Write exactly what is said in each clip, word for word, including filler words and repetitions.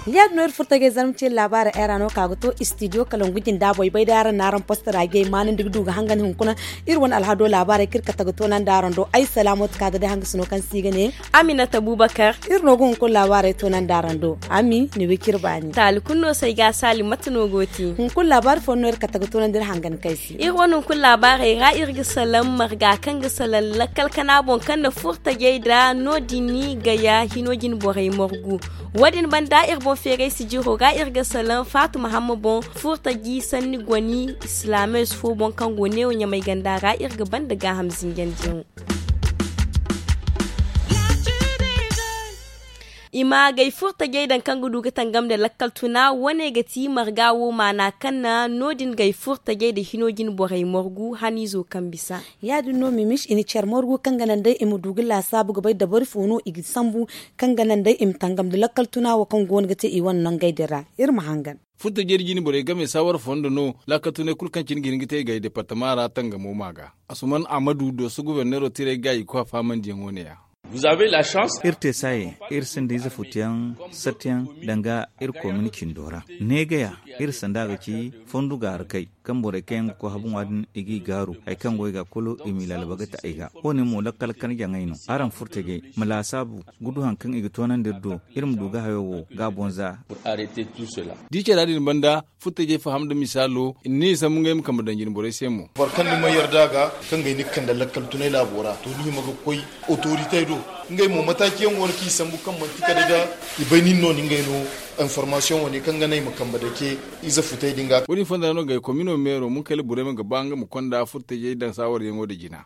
Ya- din no iri furtajey zarma ce laabaari ay ra no ka ga to istidiyo kalangu jinda boy bay day araŋ na araŋ postara jey maanandi ga du ga hangan hunkuna. Iri wane alhado laabaarey kaŋ iri kate ga toonandi araŋ do ay salaamooti ka ga day hangasino kaŋ se i ga ne aminata bubakar. Iri no ga hunkuna laabaarey toonandi araŋ do. Ami ni wicir baani taali kulu no se ay ga saali mate no go te. Hunkuna laabaari fooyaŋ no iri kate ga toonandi iri hangan kaŋ ay se. Iri wane hunkuna laabaarey ra iri ga salaŋ marga kaŋ ga salaŋ lakkal kana boŋ kaŋ na furtajey nda no- din gaya hino jine borey margu. Wo- din banda iri boŋ feeray sijiro ra iri ga salaŋ faatuma hamma boŋ furtaji sanni goni islaamees fo boŋ kaŋ go neewo ɲamay ganda ra iri ga banda gaaham zinjandiyaŋo. I ma gay furtajey daŋ kaŋ ga du ga tangam nda lakkal tuna wo- ne ga ti marga wo maana kaŋ na no- din gay furtajey nda hino jine borey margu haniizo kaŋ bisa. Ya- din no mimis i na care margu kaŋ ga naŋ day i ma du ga laasaabu ga bay dabari fo no i ga sambu kaŋ ga naŋ day i ma tangam nda lakkal tuna wo kaŋ go no ga te i wane nangey din ra. Iri ma hangan. Furtajey nda jine borey game saawara fondo no laakal tunay kulu kaŋ cine ga hin ga te i gay departama ra tangamo ma ga. Asuman ahmadu dooso guberneero tiray ga i koy a faamandiyaŋo ne- ya. Iri te saaye iri sinda ize futuyaŋ sattiyaŋ danga iri koomini cindo ra. Neegaya iri sanda ga ci fondu ga harkay kaŋ borey kaŋ yaŋ ga koy habu ŋwa din i g'i gaaru hari kaŋ go i ga kulu i m'i lalaba ga ta ay ga. Wo-ne mo lakkal kar jaŋay no araŋ furtajey ma laasaabu ga du hari kaŋ i ga toonandi iri do iri ma du ga hayo wo ga a boŋ za. Da i care a din banda furtajey faham nda misaalo i na ne i sambu ngey ma kambe daŋ jine borey se mo. Boro kaŋ ni mana yarda a ga kaŋ gay ni ga kande lakkal tunay laabo ra to ni hima ga koy otorite do. Ngey mo mataaci yaŋ go no kaŋ i sambu kaŋ manti kala da i bay nin no ni ngey no. Informasiyoŋ wane kaŋ ga naŋ i ma kambe dake ize futay din ga. Wo- din fonda ra no gay komino meero munkayla burema ga ba nga ma konda furtajey daŋ saawaryaŋo nda jina.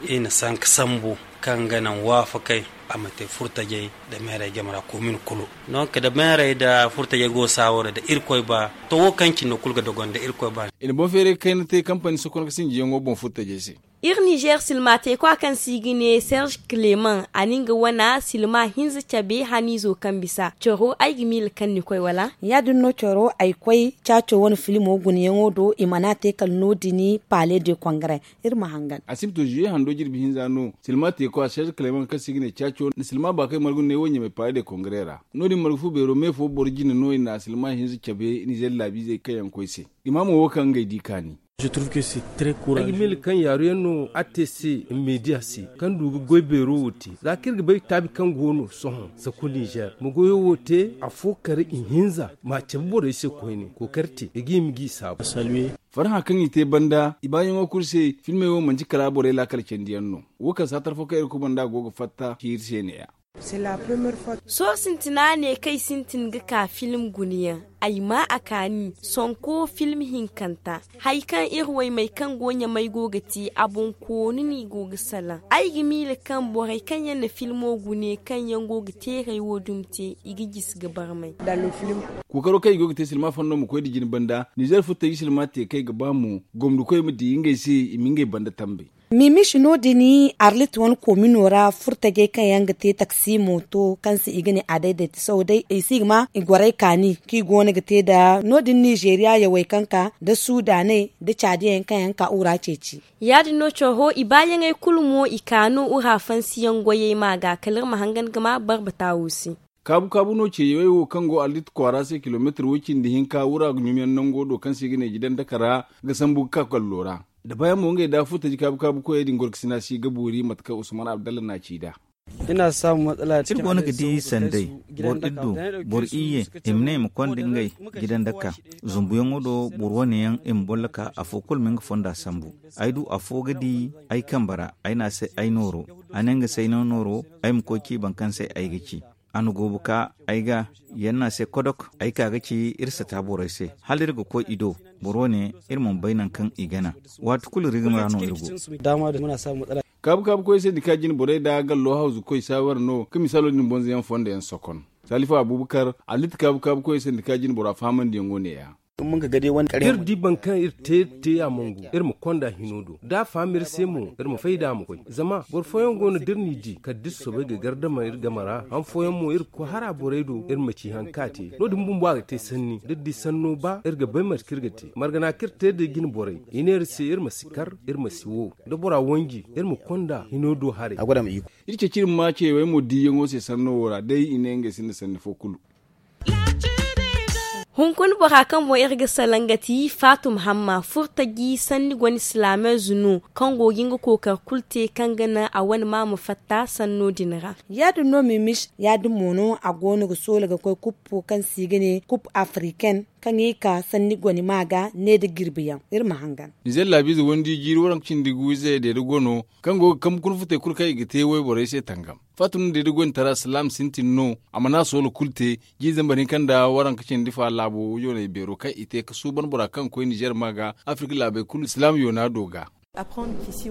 I na sanka sambu kaŋ ga naŋ waafakey a ma te furtajey nda meerey game ra komin kulu. Donk nda meerey nda furtajey go saawaro nda irkoy ba to wo kaŋ cine no kulu ga dogon nda irkoy ba. I na boŋ feeray kayna te kampani sokon ga sinjiyaŋo boŋ furtajey se. Iri nizer silma teekwa kaŋ se i ga ne serge clement a na nga wana silma hinza cabe haniizo kaŋ bisa coro ay ga miila kaŋ ni koy wala? Ya- din no coro ay koy caaco wane filimo gunayaŋo do i mana te kala no- din paale de kongare. Iri ma hangan. A si ma to zuye hando jirbi hinza no silma teekwa serge clement kaŋ se i ga ne caaco nda silma baakay margu ne wo ɲamay paale de kongare ra. No- din margu fu beero me fo boro jine no i na silma hinza cabe nizer laabiizey kaŋ yaŋ koy se. Imaamo wo kaŋ ngey di kaani. Ay ga miila kaŋ yaaru yaŋ no a te se meediya se kaŋ du ga goy beero wo te za kaŋ iri ga bay taabi kaŋ go no sohõ saku nizer ma goyo wo te afo kar ihinza ma a cabe borey se koyne kookari te i ga hima g'i saabu. Farhã kaŋ i te banda i baayaŋo kulu se filmey wo manti kala borey laakal candiyaŋ no. Wo kaŋ saatar fo kaŋ iri kubanda go ga fatta ci iri se ne- ya. Sohõ sintina ne kaŋ ay sintin ga ka film gunayaŋ ay ma a kaani sonko film hinkanta. Hari kaŋ iri waymey kaŋ go ɲamay go ga te a boŋ koonu no i go ga salaŋ. Ay ga miila kaŋ borey kaŋ yaŋ na filmo gune kaŋ yaŋ go ga teeray wo dumi te i ga jisi ga barmay. Kookaro kaŋ i go ga te silma fondo ma koy nda jine banda nizer furtaji silma te kaŋ ay ga ba mo gomnikoy ma di ngey se i ma ngey banda tambey. Mimiši no- din arlit wane koomino ra furtajey kaŋ yaŋ ga te taksi mooto kaŋ se i ga ne a dayday ti sohõ day i si ga ma i gorey kaani kaŋ i go no ga te nda no- din nizeriya yawey kaŋ ka nda suudaaney nda caadiyey kaŋ yaŋ ga ka ura ceeci. Ya- din no coro i baayaŋey kulu mo i ka no ura fansiyaŋ goyey ma ga kala iri ma hangan ga ma barbata wo se. Kaabu kaabu no ce yawey wo kaŋ go arlit kwaara se kilomeetir way cindi hinka wura ga ɲumyaŋ nango do kaŋ se i ga ne jidandaka ra ga sambu ga ka kallo ra. Da baayaŋ mo ngey da furtaji kaabu kaabu koyey din gorkasina si ga boori mate kaŋ usman abdalla na ci nd'a. Iri go no ga di sanday boro iddo boro iyye i ma ne i ma konda ngey jidandaka zumbuyaŋo do boro wane yaŋ i ma bolla ka afo kulu ma nga fonda sambu. Ay du afo ga di ay kambe ra ay ne a se ay nooro a ne nga se ay no nooro ay ma koy ci boro kaŋ se ay ga ci. A na goobu ka ay ga yaŋ no a se kodok ay ka ga ci iri sata borey se hala iri ga koy i do. Boro wane iri mana bay nangu kaŋ i gana waati kulu rigima ra no iri go. Kaabu kaabu koy sendika jine borey nda gallo hawzu koy saawara no ka misaalo din bonzoyaŋ fondo yaŋ sokon. Salifu abubakar, allitti kaabu kaabu koy sendika jine bora fahamandiyaŋo ne- ya. Iri di boro kaŋ iri te iri te a mongu iri ma konda hino do da a faham iri se mo. Iri ma fay da a ma koy zama boro fooyaŋ go no da iri n'i di kala da iri soobay ga gardama iri game ra han fooyaŋ mo iri ga koy hara borey do iri ma ci hari kaŋ a te. No- din bumbo a ga te sanni da iri di sanno ba iri ga bay mate kaŋ iri ga te margana kaŋ iri te da jine borey i ne iri se iri ma si kar iri ma si wo da bora wanji iri ma konda hino do haray. Iri ceeci iri ma ma cewey mo diiyaŋo se sanno wo ra day i ne ngey sinda sanni fo kulu. Hunkuna bora kaŋ boŋ iri ga salaŋ ga ti faatum hamma furtaji sanni gone silaameezo no kaŋ go ga nga kookari kulu te kaŋ ga naŋ a wane ma ma fatta sanno din ra. Ya- din no mimis ya- din mo no a go no ga soola ga koy kuppo kaŋ se i ga ne kup afriken kaŋ i ka sanni gone ma ga ne nda jirbi yaŋ. Iri ma hangan. Nizer laabiize wandi jiiri waranka cindi gu ize deeda gono kaŋ go ga kambe kuna futey kulu kaŋ i ga te wayborey se tangam. Fatta no deeda goyne tara silaam sintin no a mana soola kulu te. Jiiri zambar hinka nda waranka cindi fa laabo yooney beero kaŋ i te ga suuban bora kaŋ ga koy nizer ma ga afirka laabey kulu silaam yoona do ga.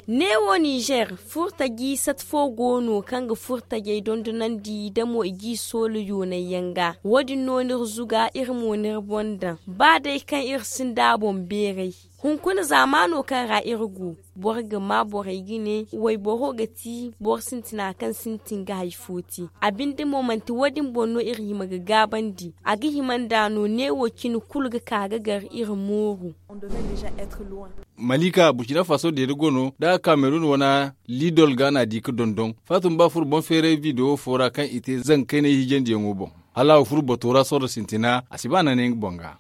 Neewo nizer furtaji sat fo go no kaŋ ga furtajey dondonandi damo i g'i soola yoonay yaŋ ga. Wo- din no n'iri zuga iri mo n'iri boŋ daŋ ba day kaŋ iri sinda a boŋ beeray. Hunkuna zaamaano kaŋ ra iri go boro ga ma borey ga ne wayboro ga ti boro sintina kaŋ sintin ga hari fo te. A binde mo manti wo- din boŋ no iri hima ga gaabandi a ga hima nd'a no neewo cine kulu ga ka ga gar iri mooru. Malika burkina faso deeda go no da a ga kamerun wane lidol ga no a di ga dondon faatun ba furo boŋ feeray bidewo fo ra kaŋ i te zanga kaynay hiijandiyaŋo boŋ. Hala a ga furo bato ra sorro sintina a si ba naanay nga boŋ ga.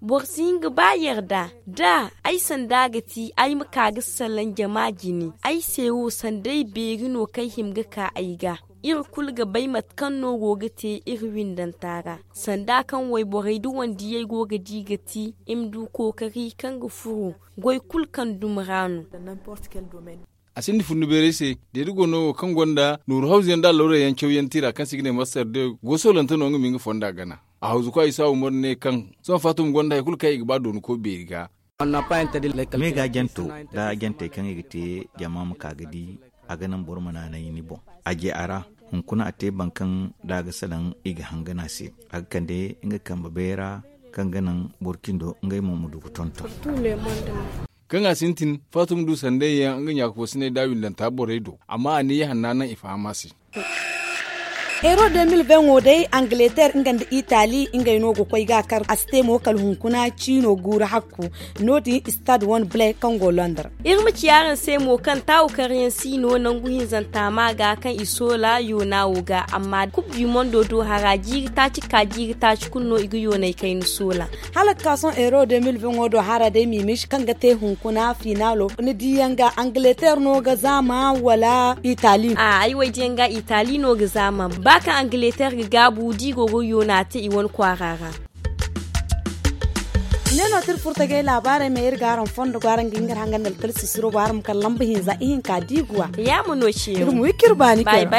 Boro si hin ga ba yarda da ay sanda ga ti ay ma ka ga salaŋ jama jine ay se wo sanda ay beeri no kaŋ ay hima ga ka ay ga. Iri kulu ga bay mate kaŋ no go ga te iri windanta ra sanda kaŋ wayborey da wandiyey go ga di ga ti i ma du kookari kaŋ ga furo goy kulu kaŋ dumi ra no. A sinda fundu beeray se deeda go no wo kaŋ gonda nooru hawzu yaŋ da allawray yaŋ caw yaŋ tira kaŋ se i ga ne master de go soolante no nga ma nga fonda gana. A hawzu kwa isa umar ne kaŋ sohõ fatum gonda hari kulu kaŋ i ga ba dooni koy beeri ga. Me ga janto da jantey kaŋ i ga te jama ma ka ga di a ga naŋ boro ma naanay ni boŋ. A je a ra hunkuna a te boro kaŋ da a ga salaŋ i ga hangan a se a ga kande nga kambe bayra kaŋ ga naŋ boro cindo ngey mo ma du ga tonton. Kaŋ a sintin faatuma du sanday yaŋ nga ɲaaka fo sinay da windanta borey do amma a ne ya hanna naŋ i faham a se. Euro deux mille vingt wo day angileter nga nda itali ngey no ga koy ga kar a si te mo kala hunkuna ciino guuru hakku. No- din stade wane blay kaŋ go londres. Iri ma ci araŋ se mo kaŋ taawu karyaŋ si no nangu hinzanta ma ga kaŋ i soola yoona wo ga amma kub du mondo do hara jiiri taaci ka jiiri taaci kulu no i ga yoonay kayna soola. Hala ga ka sohõ euro deux mille vingt wo do hara day mimis kaŋ ga te hunkuna finalo ni diyaŋ ga angileter no ga zaama wala itali? Ay waydiyaŋ ga itali no ga zaama ba kaŋ angileter ga gaabu da i go ga yoona te i wane kwaara ra. Ne no tira furtajey laabaarey ma iri ga araŋ fondo go araŋ ga hin ga iri hangan da alkala sisiro go araŋ ma kala lamba hinza ihinka diiguwa. Yaama no ceeru iri ma wi k'iri baani kay ra.